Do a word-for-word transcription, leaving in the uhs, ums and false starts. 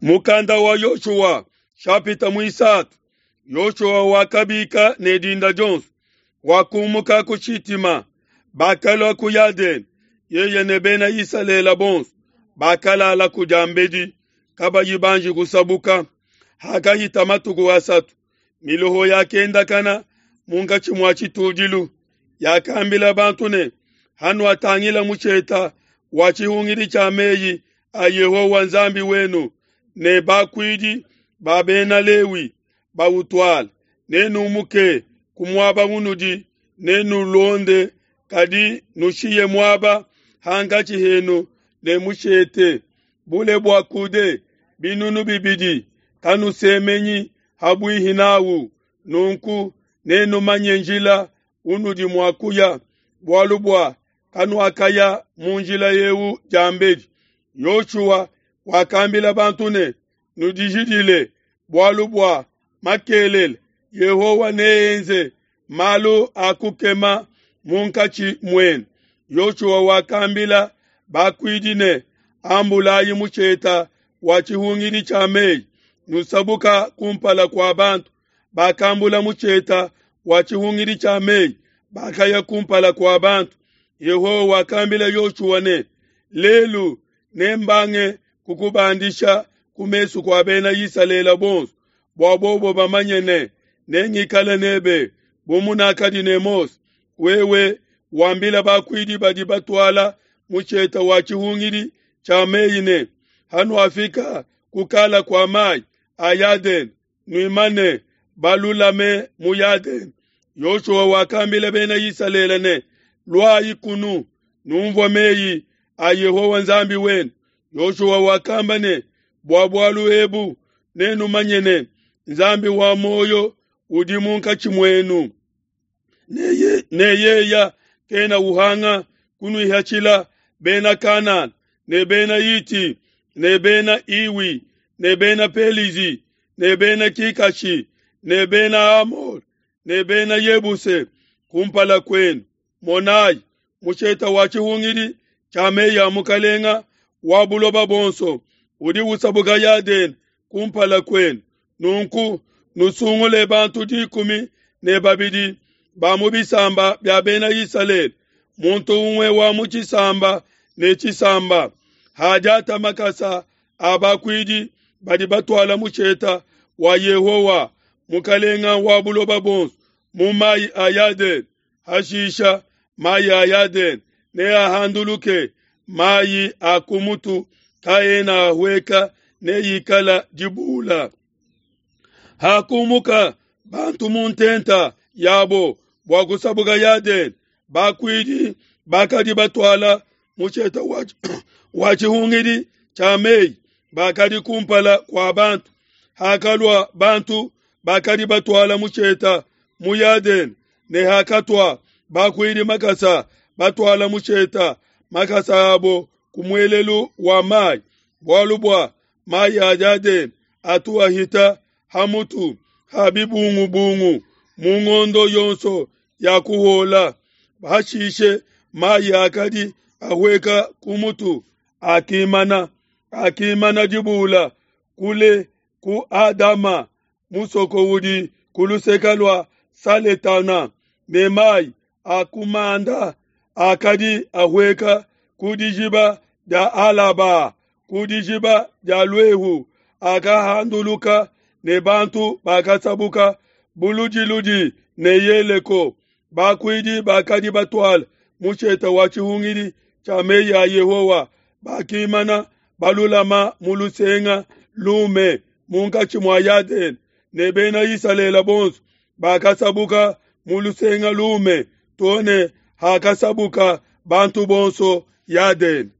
Mukanda wa Yoshua shapita muisatu. Yoshua wakabika ne dinda dionso, wakumuka ku Shitima, bakalua ku Yadene, yeye ne bena Isalele bonso bakalala ku diambedi, kabayi banji kusabuka. Hakahita matuku asatu, miloho yakendakana munkatshi mua tshitudilu, yakambila bantu ne, hanuatangila musheta wa tshihungidi tshia meyi a Yehowa Nzambi wenu ne bakuidi ba bena Lewi bautuala, nenumuke ku muaba unudi, nenulonde, kadi nushiye muaba hankatshi henu ne mushete, bule bua kude binunu bibidi, kanusemenyi habuihi nawu. Nunku nenumanye njila unudi mua kuya, bualu bua kanuakaya mu njila eu diambedi. Yoshua wakambila bantu ne, nudijidile, bualu bua makelele Yehowa neenze malu a kukema munkatshi muenu. Yoshua wakambila bakuidi ne, ambulayi musheta wa tshihungidi tshia meyi, nusabuka kumpala kua bantu. Bakambula musheta wa tshihungidi tshia meyi, bakaya kumpala kua bantu. Yehowa wakambila Yoshua ne, lelu nembange kukubandisha ku mesu kua bena Isalele bonso, bua bobo bamanye ne, nengikale nebe bu munakadi ne Mose. Wewe wambila bakuidi badi batuala musheta wa tshihungidi tshia meyi ne, hanuafika kukala kua mai a Yadene, nuimane balulame mu Yadene. Yoshua wakambila bena Isalele ne, luayi kunu, numvua meyi a Yehowa Nzambi wenu. Yoshua wakamba ne, bua bualu ebu nenumanye ne, Nzambi wa muoyo udi munkatshi muenu, ne yeya kena uhanga kunuihatshila bena Kanana ne bena Hiti ne bena Iwi ne bena Pelizi ne bena Kikashi ne bena Amor ne bena Yebuse kumpala kwenu. Monayi, musheta wa tshihungidi tshia meyi a mukalenga wa buloba bonso udi usabuka Yadene kumpala kwenu. Nunku nusungule bantu dikumi ne babidi ba mu bisamba bia bena Isalele, muntu umwe wa mu tshisamba ne tshisamba. Hadiata makasa a bakuidi badi batuala musheta wa Yehowa mukalenga wa buloba bonso mu mayi a Yadene. Hashisha mayi a Yadene neahanduluke, mayi a kumutu kaena ahweka, neikala dibula. Hakumuka bantu mu ntenta yabo bua kusabuka Yadene, bakuidi bakadi batuala musheta wa tshihungidi tshia meyi bakadi kumpala kua bantu. Hakalua bantu bakadi batuala musheta mu Yadene, ne hakatua bakuidi makasa batuala musheta makasa abo ku muelelu wa mayi, bualu bua mayi a Yadene atu ahita hamutu ha bibungubungu mu ngondo yonso ya kuhola. Hashishe mayi akadi ahweka ku mutu akimana akimana dibula kule ku Adama, musoko udi ku luseka lua Saletana, ne mayi akumanda akadi ahweka ku dijiba dia Alaba, ku dijiba dia Lwehu, akahanduluka, ne bantu bakasabuka buludiludi ne Yeleko. Bakuidi bakadi batuala musheta wa tshihungidi tshia meyi a Yehowa bakimana balulama mu lusenga lume munkatshi mua Yadene, ne bena Isalele bonso bakasabuka mu lusenga lume too ne hakasabuka bantu bonso Yadene.